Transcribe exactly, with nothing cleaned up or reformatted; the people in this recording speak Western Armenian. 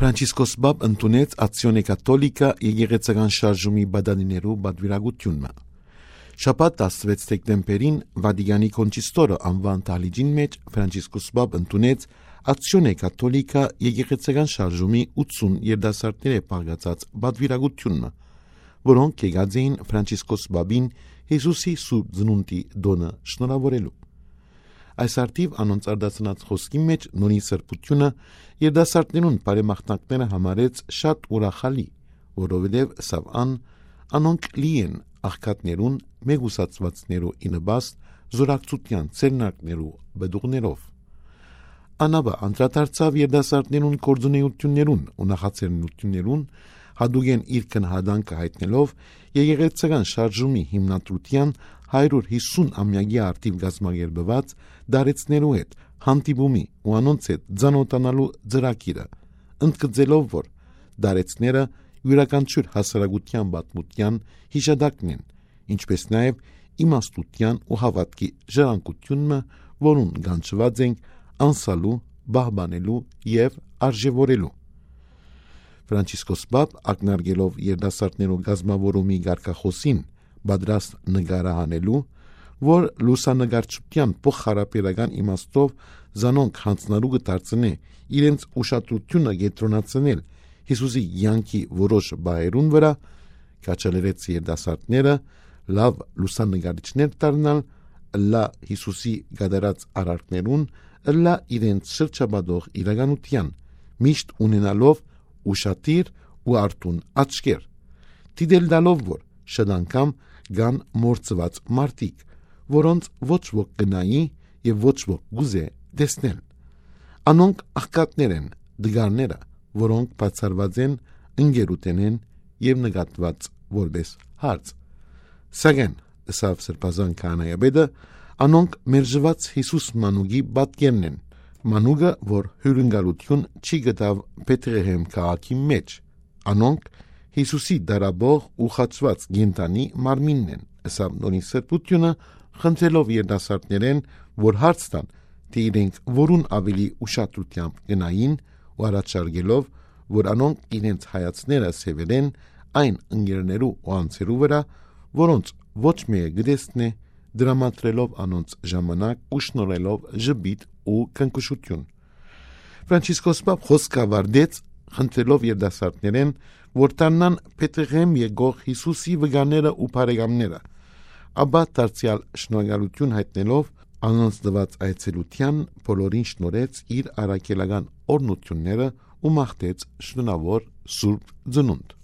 Ֆրանցիսկոս Պապ ընդունեց Ացիոնե Կաթոլիկա եկեղեցական շարժումի պատանիներու պատուիրակութիւնը։ Շաբաթ, տասնվեց դեկտեմբերին, Վատիկանի Քոնչիստորը անուան դահլիճին մէջ Ֆրանցիսկոս Պապ ընդունեց Ացիոնե Կաթոլիկա եկեղեցական շարժումի ութսուն երիտասարդներէ բաղկացած պատուիրակութիւնը, որոնք եկած էին Ֆրանցիսկոս Պապին Յիսուսի Սուրբ Ծնունդի տօնը շնորհաւորելու։ Այս առթիւ անոնց արտասանած խօսքին մէջ Նորին Սրբութիւնը երիտասարդներուն բարեմաղթանքները համարեց շատ ուրախալի, որովհետեւ, ըսաւ ան, անոնք լի են աղքատներուն, մեկուսացուածներու ի նպաստ, զօրակցութեան, ցերնակներու պտուղներով։ Ան ապա անդրադարձաւ երիտասարդներուն գործունեութիւններուն ու նախաձեռնութիւններուն, յատուկէն իր գնահատանքը յայտնելով եկեղեցական շարժումի հիմնադրութեան հարիւր յիսուն ամեակի առթիւ կազմակերպուած տարեցներու հետ հանդիպումի ու անոնց հետ ծանօթանալու ծրագիրը, ընդգծելով, որ տարեցները իւրաքանչիւր հասարակութեան պատմութեան յիշատակն են, ինչպէս նաեւ իմաստութեան ու հաւատքի ժառանգութիւնը, որուն կանչուած ենք անսալու, պահպանելու եւ արժեւորելու։ Ֆրանցիսկոս Պապ, ակնարկելով երիտասարդներու կազմաւորումի կարգախօսին պատրաստ նկարահանելու, որ լուսանկարչութեան փոխհարաբերական իմաստով զանոնք յանձնառու կը դարձնէ իրենց ուշադրութիւնը կեդրոնացնել Յիսուսի կեանքի որոշ պահերուն վրայ, կ'աջալերեց երիտասարդները լաւ լուսանկարիչներ դառնալ, ըլլայ Յիսուսի կատարած արարքներուն, ըլլայ իրենց շրջապատող իրականութեան, միշտ ունենալով ուշադիր ու արթուն աչքեր, դիտել տալով, որ շատ անգամ կան մոռցուած մարդիկ, որոնց ոչ ոք կը նայի եւ ոչ ոք կ'ուզէ տեսնել։ Անոնք աղքատներ են, տկարները, որոնք բացառուած են ընկերութենէն եւ նկատուած որպէս հարց։ Սակայն, ըսաւ Սրբազան քահանայապետը, անոնք մերժուած Յիսուս մանուկի պատկերն են, մանուկը, որ հիւրընկալութիւն չի գտաւ Բեթղեհեմ քաղաքի մէջ։ Անոնք Յիսուսի դարաբող ու խաչուած կենդանի մարմինն են, ըսաւ Նորին Սրբութիւնը, խնդրելով երիտասարդներէն, որ հարց տան, թէ իրենք որուն աւելի ուշադրութեամբ կը նային ու առաջարկելով, որ անոնք իրենց հայացները սեւեռեն այն ընկերներու ու անձերու վրայ, որոնց ոչ մէկը կը տեսնէ, տրամադրելով անոնց ժամանակ ու շնորհելով ժպիտ ու քնքուշութիւն։ Ֆրանցիսկոս Պապ խօսքը աւարտեց, խնդրելով երիտասարդներէն, որ դառնան Բեթղեհեմ եկող Յիսուսի վկաները ու բարեկամները, ապա դարձեալ շնորհակալութիւն յայտնելով անոնց տուած այցելութեան, բոլորին շնորհեց իր առաքելական օրհնութիւնները ու մաղթեց շնորհաւոր Սուրբ Ծնունդ։